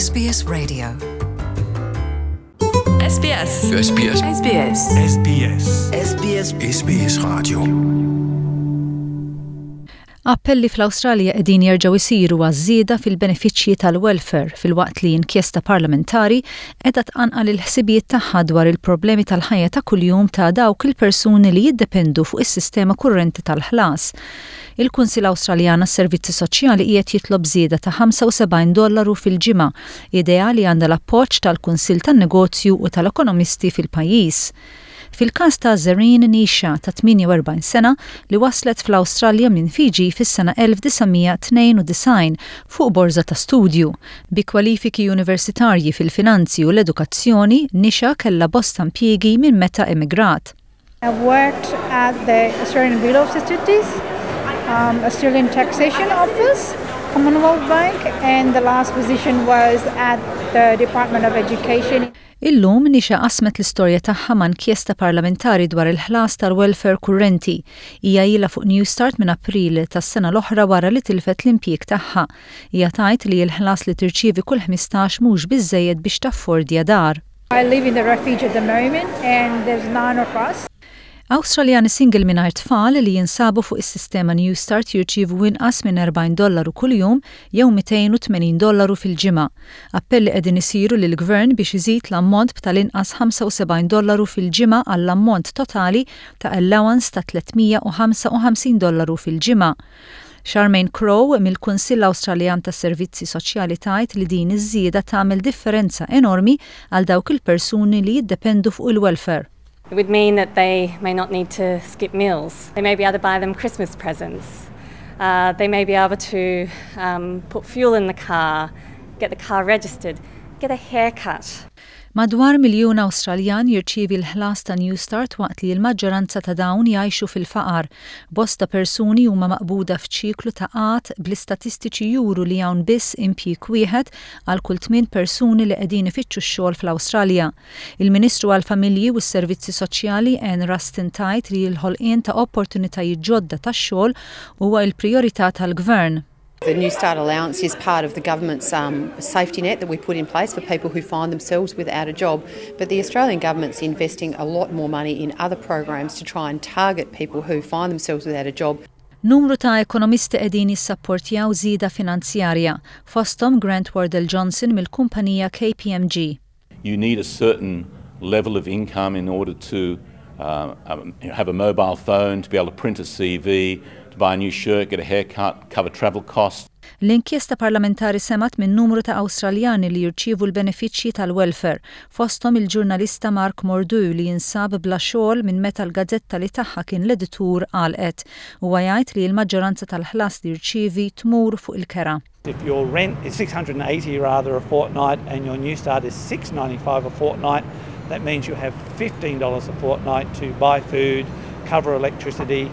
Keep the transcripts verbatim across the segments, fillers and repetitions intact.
S B S Radio. S B S. S B S. S B S. S B S. S B S. S B S Radio. Appelli fl-Awstralja qegħdin jerġgħu jsiru għaż-żieda fil-benefiċċji tal-welfare, filwaqt li inkjesta parlamentari qiegħda tqanqal il-ħsibijiet tagħha dwar il-problemi tal-ħajja ta' kuljum ta' dawk il-persuni li jiddependu fuq is-sistema kurrenti tal-ħlas. Il-Kunsil Awstraljan għas-Servizzi Soċjali qiegħed jitlob żieda ta' ħamsa u sebgħin dollaru fil-ġimgħa, idea li għandha l-appoġġ tal-Kunsil tan-Negozju u tal-Ekonomisti fil-pajjiż. Fil-każ ta' Zerin Nisha ta' tmienja u erbgħin sena li waslet fl-Awstralja minn Fiji fis-sena elf disa' mija tnejn u disgħin fuq borza ta' studju. Bi kwalifiki universitarji fil-finanzi u l-edukazzjoni, Nisha kella bosta impjiegi minn meta emigrat. I've worked at the Australian Bureau of Statistics, um, Australian Taxation Office, Commonwealth Bank, and the last position was at the Department of Education. Illum Nisha qasmet l-istorja tagħha ma' inkjesta parlamentari dwar il-ħlas tal-welfare kurrenti. Hija ilha fuq Newstart minn April tas-sena l-oħra wara li tilfet l-impjieg tagħha. Hija tgħid li l-ħlas li tirċievi kull ħmistax mhux biżejjed biex taffordja dar. I live in the refuge at the moment, and there's nine of us. Awstraljani single mingħajr tfal li jinsabu fuq is-sistema Newstart jirċievu inqas minn erbgħin dollaru kuljum jew mitejn u tmenin dollaru fil-ġimgħa. Appelli qegħdin isiru lil gvern biex iżid l-ammont b'tal-inqas ħamsa u sebgħin dollaru fil-ġimgħa għall-ammont totali ta' allowance ta' tliet mija u ħamsa u ħamsin dollaru fil-ġimgħa. Charmaine Crow mill-Kunsill Awstraljan tas Servizzi Soċjali tgħid li din iż-żieda tagħmel differenza enormi għal dawk il-persuni li jiddependu fuq il-welfare. It would mean that they may not need to skip meals. They may be able to buy them Christmas presents. Uh, they may be able to um, put fuel in the car, get the car registered, get a haircut. Madwar miljun Awstraljan jirċievi l-ħlas ta' Newstart, waqt li l-maġġoranza ta' dawn jgħixu fil-faqar. Bosta persuni huma maqbuda f'ċiklu ta' qgħad, bl-istatistiċi juru li hawn biss impjieg wieħed għal kull tmien persuni li qegħdin ifittxu x-xogħol fl-Awstralja. Il-Ministru għall-Familji u s-Servizzi Soċjali Anne Ruston tgħid li l-ħolqien ta' opportunitajiet ġodda tax-xogħol huwa l-prijorità tal-Gvern. The Newstart allowance is part of the government's um, safety net that we put in place for people who find themselves without a job. But the Australian government's investing a lot more money in other programs to try and target people who find themselves without a job. Numru ta' ekonomisti qegħdin jissapportjaw żieda finanzjarja, fosthom Grant Wardell Johnson mill-kumpanija K P M G. You need a certain level of income in order to uh, um, have a mobile phone, to be able to print a C V, to buy a new shirt, get a haircut, cover travel costs. L-inkjesta parlamentari semgħet minn numru ta' Awstraljani li jirċievu l-benefiċċji tal-welfare, fosthom il-ġurnalista Mark Mordu li jinsab bla xogħol minn meta l-gazzetta li tagħha kien l-editur għalqet. Huwa jgħid li l-maġġoranza tal-ħlas li jirċievi tmur fuq il-kera. If your rent is six hundred and eighty rather a fortnight and your Newstart is six ninety-five a fortnight, that means you have fifteen dollars a fortnight to buy food, cover electricity,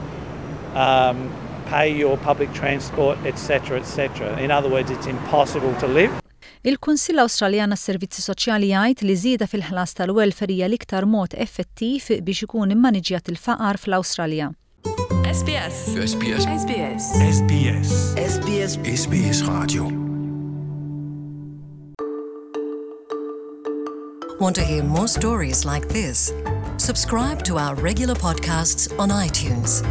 um, pay your public transport, et cetera, et cetera. In other words, it's impossible to live. Il-Kunsill Awstraljan għas-Servizzi Soċjali jgħid li żieda fil-ħlas tal-welfare hija l-iktar mod effettiv biex ikun immaniġjat il-faqar fl-Awstralja. S B S. S B S. S B S. S B S. S B S. S B S Radio. Want to hear more stories like this? Subscribe to our regular podcasts on iTunes.